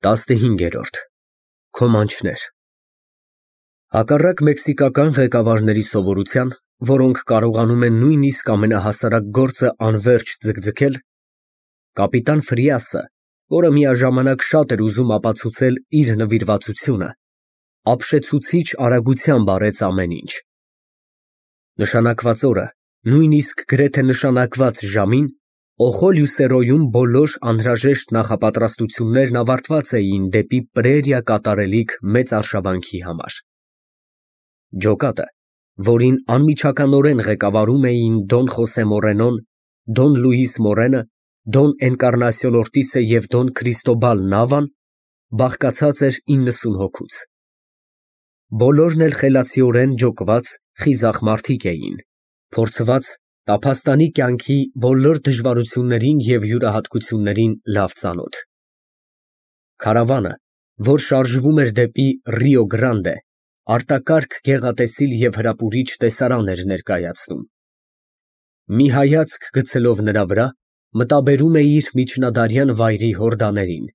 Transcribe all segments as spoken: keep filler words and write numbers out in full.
տասնհինգերորդ Քոմանչներ Հակառակ մեքսիկական ղեկավարների սովորության, որոնք կարողանում են նույնիսկ ամենահասարակ գործը անվերջ ձգձգել, կապիտան Ֆրիասը, որը միաժամանակ շատ էր ուզում ապացուցել իր նվիրվածությունը, ապշեցուցիչ արագությամբ արեց ամեն ինչ։ Նշանակված օրը, նույնիսկ գրեթե նշանակված ժամին, Օխոլյուսերոյում բոլոր անհրաժեշտ նախապատրաստություններն ավարտված էին դեպի պրերիա կատարելիք մեծ արշավանքի համար։ Ջոկատը, որին անմիջականորեն ղեկավարում էին Դոն Խոսե Մորենոն, Դոն Լուիս Մորենը, Դոն Էնկառնասիոն Օրտիսը և Դոն Քրիստոբալ Նավան, բաղկացած էր իննսուն հոգուց։ Բոլորն էլ խելացիորեն ջոկված, խիզախ մարդիկ էին, փորձված, տափաստանի կյանքի բոլոր դժվարություններին և յուրահատկություններին լավ ծանոթ։ Քարավանը, որ շարժվում էր դեպի Ռիո Գրանդե, արտակարգ գեղատեսիլ և հրապուրիչ տեսարան էր ներկայացնում։ Մի հայացք գցելով նրա վրա, մտաբերում էիր միջնադարյան վայրի հորդաներին,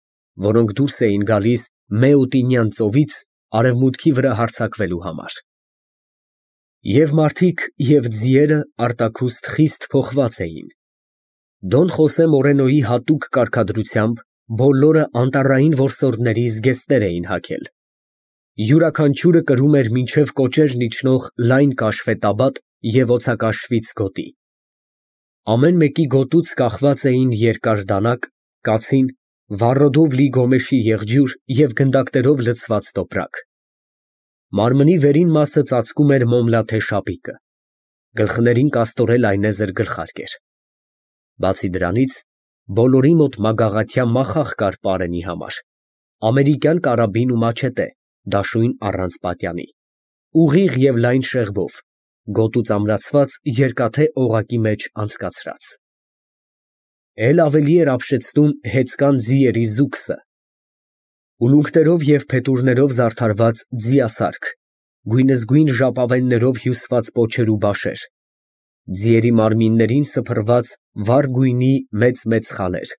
որոնք դուրս էին գալիս Մեոտինյան ծովից արևմուտքի վրա հարձակվելու համար։ Եվ մարդիկ, և ձիերը արտաքուստ խիստ փոխված էին։ Դոն Խոսե Մորենոյի հատուկ կարգադրությամբ բոլորը անտառային որսորդների զգեստներ էին հագել։ Յուրաքանչյուրը կրում էր մինչև կոճերն իջնող լայն կաշվե տաբատ և օձակաշվից գոտի։ Ամեն մեկի գոտուց կախված էին երկար դանակ, կացին, վառոդով լի գոմեշի եղջյուր և գնդակներով լցված տոպրակ։ Մարմնի վերին մասը ծածկում էր մոմլաթե շապիկը, գլխներին կաստորել այնեզր գլխարկ էր։ Բացի դրանից, բոլորի մոտ մագաղաթյա մախախ կար պարենի համար, ամերիկյան կարաբին ու մաչետե, դաշույն առանց պատյանի, ուղիղ և լայն շեղբով, գոտուց ամրացված երկաթե օղակի մեջ անցկացրած։ Էլ ավելի էր ապշեցնում հեծկան ձիերի զուգսը, ուլունքներով և փետուրներով զարդարված ձիասարք, գույնզգույն ժապավեններով հյուսված պոչեր ու բաշեր, ձիերի մարմիններին սփռված վառ գույնի մեծ֊մեծ խալեր,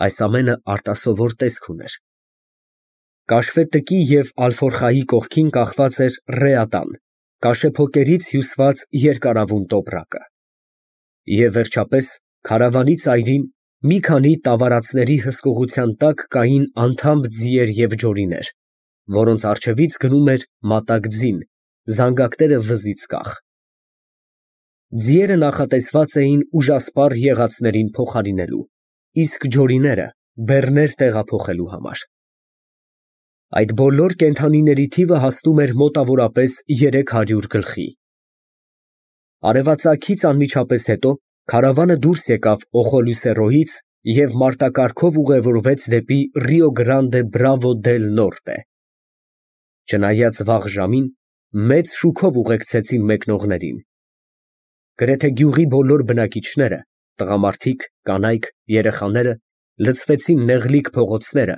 այս ամենը արտասովոր տեսք ուներ։ Կաշվե տկի և ալֆորխայի կողքին կախված էր ռեատան, կաշեփոկերից հյուսված երկարավուն տոպրակը։ Եվ վերջապես, քարավանի ծայրին, մի քանի տավարածների հսկողության տակ կային անթամբ ձիեր և ջորիներ, որոնց առջևից գնում էր մատակ ձին, զանգակները վզից կախ։ Ձիերը նախատեսված էին ուժասպառ եղածներին փոխարինելու, իսկ ջորիները բեռներ տեղափոխելու համար։ Այդ բոլոր կենդանիների թիվը հասնում էր մոտավորապես երեք հարյուր գլխի։ Արևածագից անմիջապես հետո քարավանը դուրս եկավ Օխոլյուսերոյից և մարտակառքով ուղևորվեց դեպի Ռիո Գրանդե Բրավո դել Նորտե։ Չնայած վաղ ժամին, մեծ շուքով ուղեկցեցին մեկնողներին։ Գրեթե գյուղի բոլոր բնակիչները, տղամարդիկ, կանայք, երեխաները լցվեցին նեղլիկ փողոցները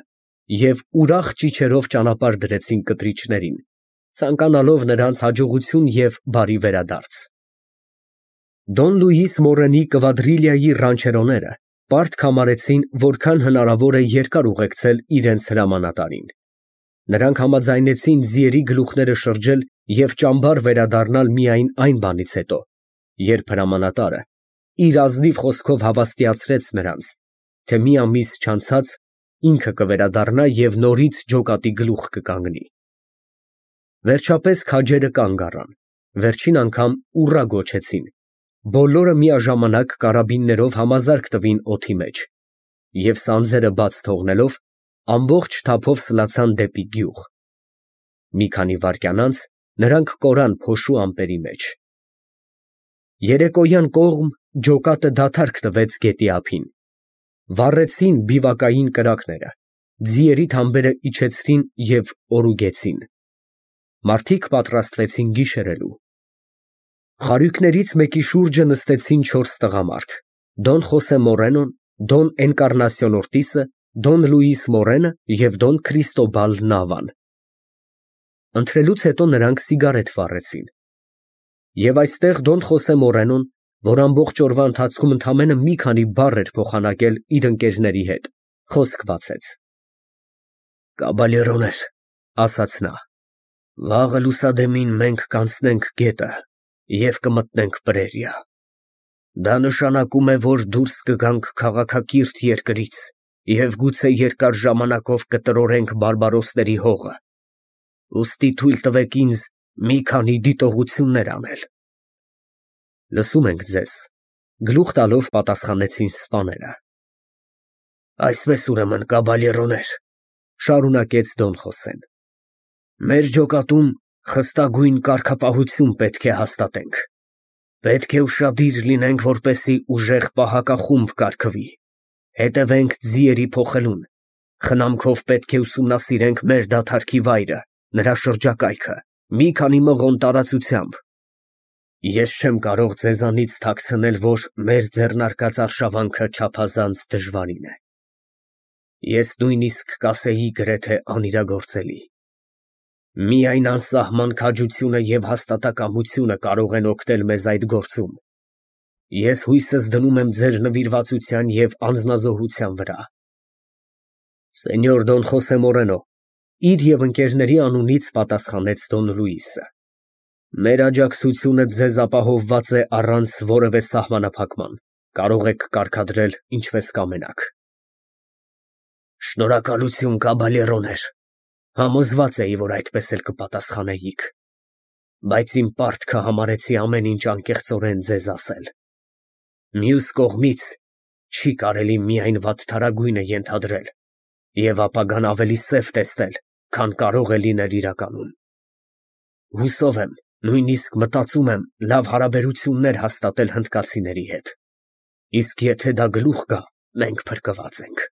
և ուրախ ճիչերով ճանապարհ դրեցին կտրիչներին, ցանկանալով նրանց հաջողություն և բարի վերադարձ։ Դոն Լուիս Մորենի կվադրիլիայի ռանչերոները պարտք համարեցին, որքան հնարավոր է երկար ուղեկցել իրենց հրամանատարին։ Նրանք համաձայնեցին ձիերի գլուխները շրջել և ճամբար վերադառնալ միայն այն բանից հետո, երբ հրամանատարը իր ազնիվ խոսքով հավաստիացրեց նրանց, թե մի ամիս չանցած ինքը կվերադառնա և նորից ջոկատի գլուխ կկանգնի։ Վերջապես քաջերը կանգ առան, վերջին անգամ ուռա գոչեցին, բոլորը միաժամանակ կարաբիններով համազարկ տվին օդի մեջ և սանձերը բաց թողնելով, ամբողջ թափով սլացան դեպի գյուղ։ Մի քանի վայրկյան անց նրանք կորան փոշու ամպերի մեջ։ Երեկոյան կողմ ջոկատը դադարք տվեց գետի ափին։ Վառեցին բիվակային կրակները, ձիերի թամբերը իջեցրին և օրուգեցին։ Մարդիկ պատրաստվեցին գիշերելու։ Խարույկներից մեկի շուրջը նստեցին չորս տղամարդ՝ Դոն Խոսե Մորենոն, Դոն Էնկառնասիոն Օրտիսը, Դոն Լուիս Մորենը և Դոն Քրիստոբալ Նավան։ Ընթրելուց հետո նրանք սիգարետ վառեցին։ Եվ այստեղ Դոն Խոսե Մորենոն, որ ամբողջ օրվա ընթացքում ընդամենը մի քանի բառ էր փոխանակել իր ընկերների հետ, խոսք բացեց։ Կաբալերոներ, ասաց նա, վաղը լուսադեմին մենք կանցնենք գետը և կմտնենք Պրերիա։ Դա նշանակում է, որ դուրս կգանք քաղաքակիրթ երկրից և գուցե երկար ժամանակով կտրորենք բարբարոսների հողը, ուստի թույլ տվեք ինձ մի քանի դիտողություններ անել։ Լսում ենք ձեզ, գլուխ տալով պատասխանեցին սպաները։ Այսպես ուրեմն, կաբալերոներ, շարունակեց Դոն Խոսեն, մեր ջոկատում խստագույն կարգապահություն պետք է հաստատենք։ Պետք է ուշադիր լինենք, որպեսզի ուժեղ պահակախումբ կարգվի, հետևենք ձիերի փոխելուն, խնամքով պետք է ուսումնասիրենք մեր դադարքի վայրը, նրա շրջակայքը, մի քանի մղոն տարածությամբ։ Ես չեմ կարող ձեզանից թաքցնել, որ մեր ձեռնարկած արշավանքը չափազանց դժվարին է։ Ես նույնիսկ կասեի գրեթե անիրագործելի։ Միայն անսահման քաջությունը և հաստատակամությունը կարող են օգնել մեզ այդ գործում։ Ես հույսս դնում եմ ձեր նվիրվածության և անձնազոհության վրա։ Սենյոր Դոն Խոսե Մորենո, իր և ընկերների անունից պատասխանեց Դոն Լուիսը, մեր աջակցությունը ձեզ ապահովված է առանց որևէ սահմանափակման, կարող եք կարգադրել ինչպես կամենաք։ Շնորհակալություն, կաբալերոներ, համոզված էի, որ այդպես էլ կպատասխանեիք, բայց իմ պարտքը համարեցի ամեն ինչ անկեղծորեն ձեզ ասել։ Մյուս կողմից, չի կարելի միայն վատթարագույնը ենթադրել և ապագան ավելի սև տեսնել, քան կարող է լինել իրականում։ Հուսով եմ, նույնիսկ մտածում եմ լավ հարաբերություններ հաստատել հնդկացիների հետ, իսկ եթե դա գլուխ գա, մենք փրկված ենք։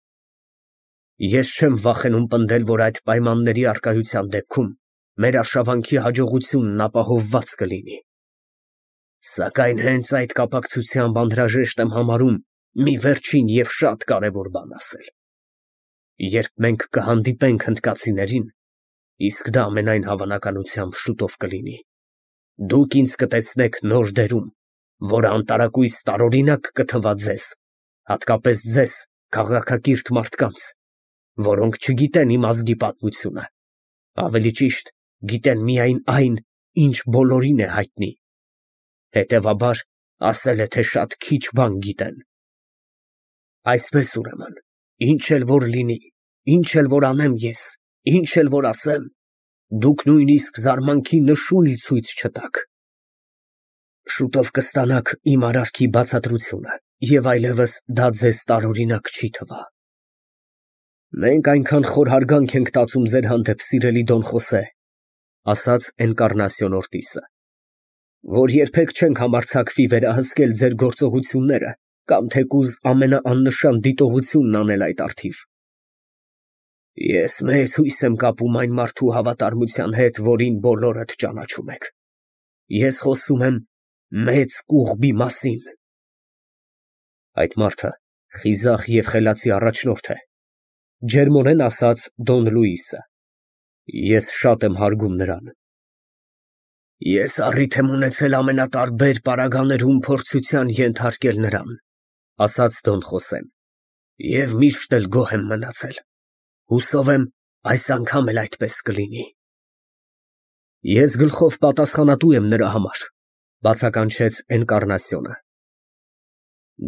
Ես չեմ վախենում պնդել, որ այդ պայմանների առկայության դեպքում մեր արշավանքի հաջողությունն ապահովված կլինի։ Սակայն հենց այդ կապակցությամբ անհրաժեշտ եմ համարում մի վերջին և շատ կարևոր բան ասել։ Երբ մենք կհանդիպենք հնդկացիներին, իսկ դա ամենայն հավանականությամբ շուտով կլինի, դուք ինձ կտեսնեք նոր դերում, որը անտարակույս տարօրինակ կթվա ձեզ, հատկապես ձեզ, քաղաքակիրթ մարդկանց, որոնք չգիտեն իմ ազգի պատմությունը, ավելի ճիշտ, գիտեն միայն այն, ինչ բոլորին է հայտնի, հետևաբար, ասել է, թե շատ քիչ բան գիտեն։ Այսպես ուրեմն, ինչ էլ որ լինի, ինչ էլ որ անեմ ես, ինչ էլ որ ասեմ, դուք նույնիսկ զարմանքի նշույլ ցույց չտաք։ Շուտով կստանաք իմ արարքի բացատրությունը և այլևս դա ձեզ տարօրինակ չի թվա։ Մենք այնքան խոր հարգանք ենք տածում ձեր հանդեպ, սիրելի Դոն Խոսե, ասաց Էնկառնասիոն Օրտիսը, որ երբեք չենք համարձակվի վերահսկել ձեր գործողությունները կամ թեկուզ ամենաաննշան դիտողությունն անել այդ առթիվ։ Ես մեծ հույս եմ կապում այն մարդու հավատարմության հետ, որին բոլորդ ճանաչում եք։ Ես խոսում եմ մեծ կուղբի մասին։ Այդ մարդը խիզախ և խելացի առաջնորդ է, ջերմորեն ասաց Դոն Լուիսը, ես շատ եմ հարգում նրան։ Ես առիթ եմ ունեցել ամենատարբեր պարագաներում փորձության ենթարկել նրան, ասաց Դոն Խոսեն, և միշտ էլ գոհ եմ մնացել, հուսով եմ այս անգամ էլ այդպես կլինի։ Ես գլխով պատասխանատու եմ նրա համար, բացականչեց Էնկառնասիոնը։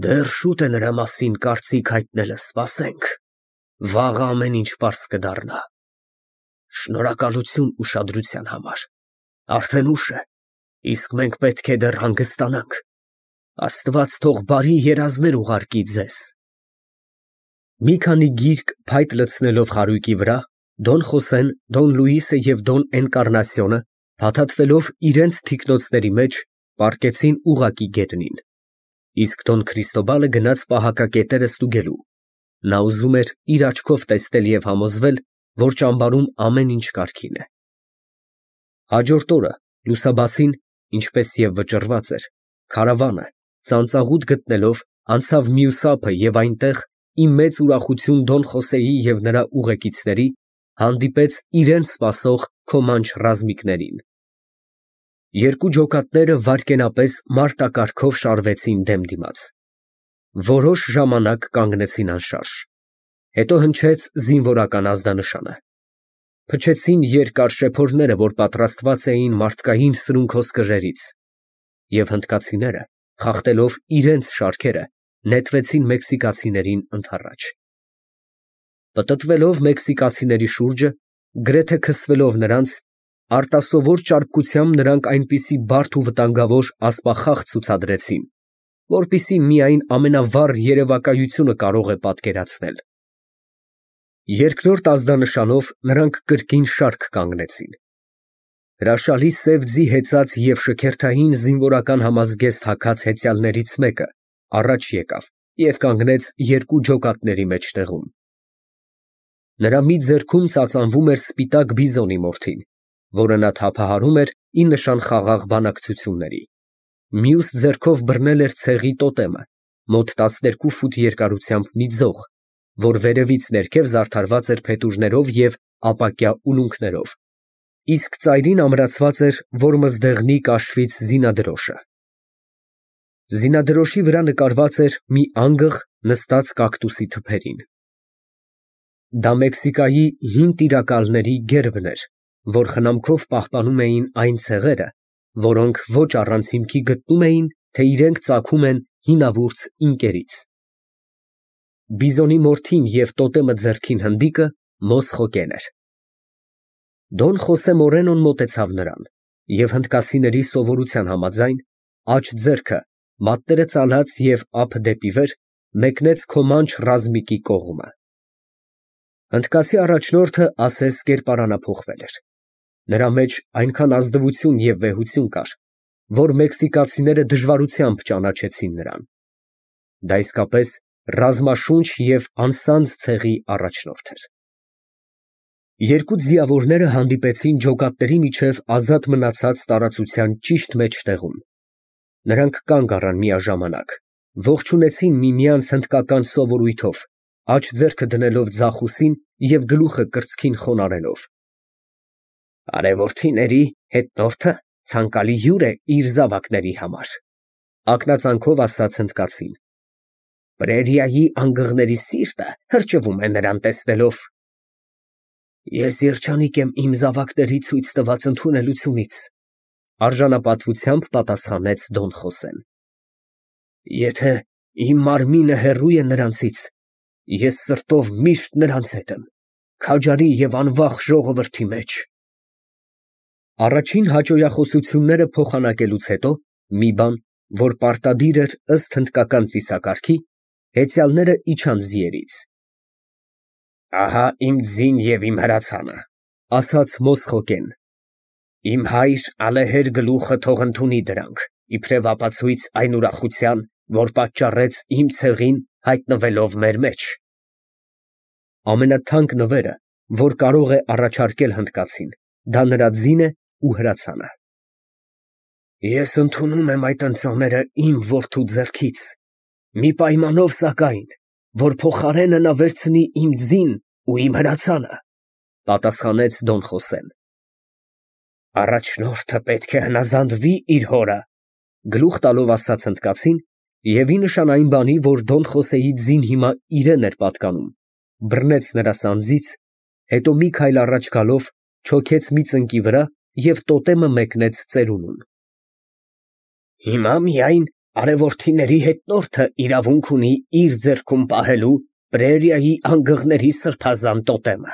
Դեռ շուտ է նրա մասին կարծիք հայտնելը, սպասենք, վաղը ամեն ինչ պարզ կդառնա։ Շնորհակալություն ուշադրության համար, արդեն ուշ է, իսկ մենք պետք է դեռ հանգստանանք, Աստված թող բարի երազներ ուղարկի ձեզ։ Մի քանի գիրք փայտ լցնելով խարույկի վրա, Դոն Խոսեն, Դոն Լուիսը և Դոն Էնկառնասիոնը, փաթաթվելով իրենց թիկնոցների մեջ, պառկեցին ուղղակի գետնին, իսկ Դոն Քրիստոբալը գնաց պահակակետերը ստուգելու, նա ուզում էր իր աչքով տեսնել և համոզվել, որ ճամբարում ամեն ինչ կարգին է։ Հաջորդ օրը, լուսաբացին, ինչպես և վճռված էր, քարավանը, ծանծաղուտ գտնելով, անցավ մյուս ափը և այնտեղ, ի մեծ ուրախություն Դոն Խոսեի և նրա ուղեկիցների, հանդիպեց իրենց սպասող քոմանչ ռազմիկներին։ Երկու ջոկատները վայրկենապես մարտակարգով շարվեցին դեմդիմաց։ Որոշ ժամանակ կանգնեցին անշարժ, հետո հնչեց զինվորական ազդանշանը։ փչեցին երկար շեփորները, որ պատրաստված էին մարդկային սրունքոսկրերից, և հնդկացիները, խախտելով իրենց շարքերը, նետվեցին մեքսիկացիներին ընդառաջ։ Պտտվելով մեքսիկացիների շուրջը, գրեթե քսվելով նրանց, արտասովոր ճարպկությամբ նրանք այնպիսի բարդ ու վտանգավոր ասպախաղ ցուցադրեցին, որպեսզի միայն ամենավառ երևակայությունը կարող է պատկերացնել։ Երկրորդ ազդանշանով նրանք կրկին շարք կանգնեցին։ Հրաշալի սև ձի հեծած և շքերթային զինվորական համազգեստ հագած հեծյալներից մեկը առաջ եկավ և կանգնեց երկու ջոկատների մեջտեղում։ Նրա մի ձեռքում ծածանվում էր սպիտակ բիզոնի մորթին, որը նա թափահարում էր ի նշան խաղաղ բանակցությունների, մյուս ձեռքով բռնել էր ցեղի տոտեմը, մոտ տասներկու ֆուտ երկարությամբ մի ձող, որ վերևից ներքև զարդարված էր փետուրներով և ապակյա ուլունքներով, իսկ ծայրին ամրացված էր որմզդեղնի կաշվից զինադրոշը։ Զինադրոշի վրա նկարված էր մի անգղ նստած կակտուսի թփերին։ Դա Մեքսիկայի հին տիրակալների գերբն էր, որ խնամքով պահպանում էին այն ցեղերը, որոնք ոչ առանց հիմքի գտնում էին, թե իրենք ծագում են հինավուրց ինկերից։ Բիզոնի մորթին և տոտեմը ձեռքին հնդիկը Մոսխոկեն էր։ Դոն Խոսե Մորենոն մոտեցավ նրան և հնդկացիների սովորության համաձայն, աջ ձեռքը, մատները ծալած և ափը դեպի վեր, մեկնեց քոմանչ ռազմիկի կողմը։ Հնդկացի առաջնորդը ասես կերպարանափոխվել էր։ Նրա մեջ այնքան ազնվություն և վեհություն կար, որ մեքսիկացիները դժվարությամբ ճանաչեցին նրան։ Դա իսկապես ռազմաշունչ և անսանձ ցեղի առաջնորդ էր։ Երկու ձիավորները հանդիպեցին ջոկատների միջև ազատ մնացած տարածության ճիշտ մեջտեղում։ Նրանք կանգ առան միաժամանակ, ողջունեցին միմյանց հնդկական սովորույթով, աջ ձեռքը դնելով ձախ ուսին և գլուխը կրծքին խոնարհելով։ Արևորդիների հետնորդը ցանկալի հյուր է իր զավակների համար, ակնածանքով ասաց հնդկացին։ Պրերիայի անգղների սիրտը հրճվում է նրան տեսնելով։ Ես երջանիկ եմ իմ զավակների ցույց տված ընդունելությունից, արժանապատվությամբ պատասխանեց Դոն Խոսեն։ Եթե իմ մարմինը հեռու է նրանցից, ես սրտով միշտ նրանց հետ եմ, քաջարի և անվախ ժողովրդի մեջ։ Առաջին հաճոյախոսությունները փոխանակելուց հետո մի բան, որ պարտադիր էր ըստ հնդկական ծիսակարգի, հեծյալները իջան ձիերից։ Ահա իմ ձին և իմ հրացանը, ասաց Մոսխոկեն։ Իմ հայր ալեհեր գլուխը թող ընդունի դրանք, իբրև ապացույց այն ուրախության, որ պատճառեց իմ ցեղին հայտնվելով մեր մեջ։ Ամենաթանկ նվերը, որ կարող է առաջարկել հնդկացին, դա նրա ձին է ու հրացանը։ Ես ընդունում եմ այդ ընծաները իմ որդու ձեռքից, մի պայմանով սակայն, որ փոխարենը նա վերցնի իմ ձին ու իմ հրացանը, պատասխանեց Դոն Խոսեն։ Առաջնորդը պետք է հնազանդվի իր հորը, գլուխ տալով ասաց հնդկացին, և ի նշան այն բանի, որ Դոն Խոսեի ձին հիմա իրեն էր պատկանում, բռնեց նրա սանձից, հետո մի քայլ առաջ գալով չոքեց մի ծնկի վրա և տոտեմը մեկնեց ծերունուն։ Հիմա միայն արևորդիների հետնորդը իրավունք ունի իր ձեռքում պահելու պրերիայի անգղների սրբազան տոտեմը,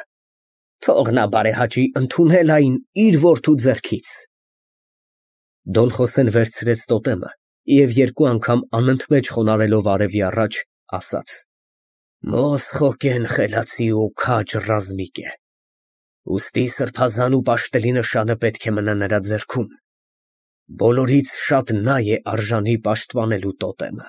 թող նա բարեհաճի ընդունել այն իր որդու ձեռքից։ Դոն Խոսեն վերցրեց տոտեմը և երկու անգամ անընդմեջ խոնարհելով արևի առաջ, ասաց. Մոսխոկեն խելացի ու քաջ ռազմիկ է, ուստի սրբազան ու պաշտելի նշանը պետք է մնա նրա ձեռքում, բոլորից շատ նա է արժանի պաշտպանելու տոտեմը։